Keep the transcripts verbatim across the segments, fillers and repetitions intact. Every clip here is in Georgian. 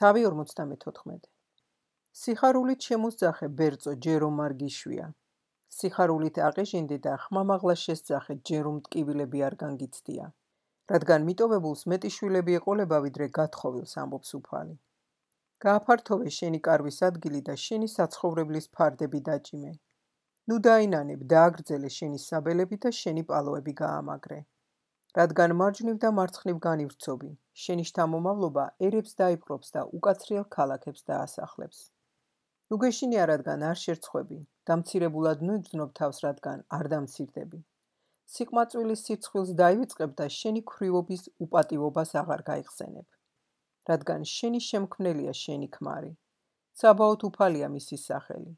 თავი ორმოცდამეთოთხმეტე. სიხარულით შემოსძახე ბერწო ჯერო მარგიშვია. სიხარულით აყეჟინდე და ხმამაღლა შესძახე ჯერო მტკივილები არ განგიცდია. რადგან მიტოვებულს მეტი შვილები ეყოლება ვიდრე გათხოვილს ამბობს უფალი. გააფართოვე შენი კარვის ადგილი და შენი საცხოვრებლის ფარდები დაჭიმე. ნუ დაინანებ დააგრძელე შენი საბელები და შენი პალოები გაამაგრე. რადგან მარჯვნივ და მარცხნივ განივრცობი, შენი შთამომავლობა ერებს დაიპყრობს და უკაცრიელ ქალაქებს დაასახლებს. ნუ გეშინია, რადგან არ შერცხვები, დამცირებულად ნუ იგრძნობ თავს, რადგან არ დამცირდები. სიყმაწვილის სირცხვილს დაივიწყებ და შენი ქვრივობის უპატივობას აღარ გაიხსენებ. რადგან შენი შემქმნელია შენი ქმარი. ცაბაოთ უფალია მისი სახელი.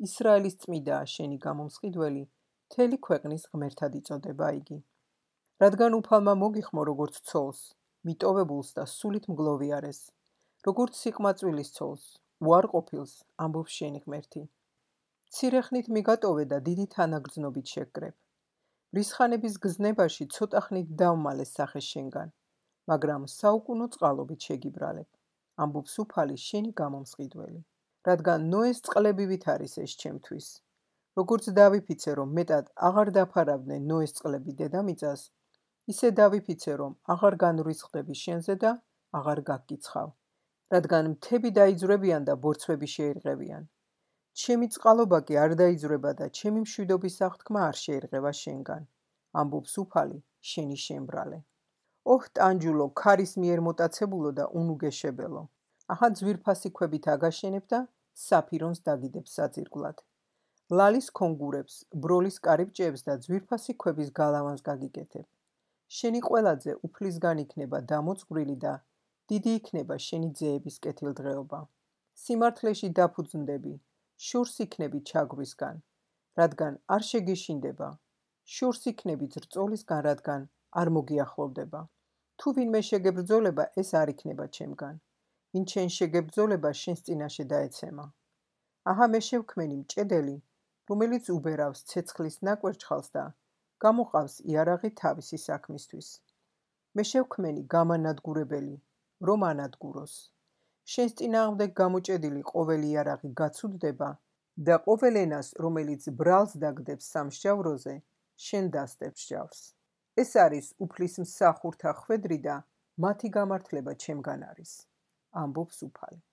ისრაელის წმიდაა შენი გამომსყიდველი, მთელი ქვეყნის ღმერთად იწოდება იგი. რადგან უფალმა მოგიხმო როგორც ცოლს, მიტოვებულს და სულით მგლოვიარეს, როგორც სიყმაწვილის ცოლს, უარყოფილს, ამბობს შენი ღმერთი. მცირე ხნით მიგატოვე და დიდი თანაგრძნობით შეგკრებ. რისხანების გზნებაში ცოტა ხნით დავმალე სახე შენგან, მაგრამ საუკუნო წყალობით შეგიბრალებ, ამბობს უფალი შენი გამომსყიდველი. რადგან ნოეს წყლებივით არის ეს ჩემთვის. როგორც დავიფიცე, რომ მეტად აღარ დაფარავდნენ ნოეს წყლები დედამიწას, ისე დავიფიცე, რომ აღარ განვრისხდები შენზე და აღარ გაგკიცხავ. რადგან მთები დაიძვრებიან და ბორცვები შეირღევიან. ჩემი წყალობა კი არ დაიძვრება და ჩემი მშვიდობის აღთქმა არ შეირღევა შენგან, ამბობს უფალი შენი შემბრალე. ოჰ ტანჯულო, ქარის მიერ მოტაცებულო და უნუგეშებელო, აჰა ძვირფასი ქვებით აგაშენებ და საფირონს დაგიდებ საძირკვლად. ლალის ქონგურებს, ბროლის კარიბჭეებს და ძვირფასი ქვების გალავანს გაგიკეთებ. შენი ყველაზე უფლისგან იქნება დამოწვრილი და დიდი იქნება შენი ძეების კეთილდღეობა. სიმართლეში დაფუძნდები, შორს იქნები ჩაგვისგან, რადგან არ შეგეშინდება. შორს იქნები ძრწოლისგან, რადგან არ მოგიახლოვდება. თუ ვინმე შეგებრძოლება, ეს არ იქნება ჩემგან. ვინ შენ შეგებრძოლება, შენს წინაშე დაეცემა. აჰა მე შევქმენი მჭედელი, რომელიც უბერავს ცეცხლის ნაკვერჩხალს და გამოყავს იარაღი თავისი საქმისთვის. მე შევქმენი გამანადგურებელი, რომ ანადგუროს. შენს წინააღმდეგ გამოჭედილი ყოველი იარაღი გაცუდდება და ყოველ ენას, რომელიც ბრალს დაგდებს სამსჯავროზე, შენ დასდებ სჯავს. ეს არის უფლის მსახურთა ხვედრი და მათი გამართლება ჩემგან არის, ამბობს უფალი.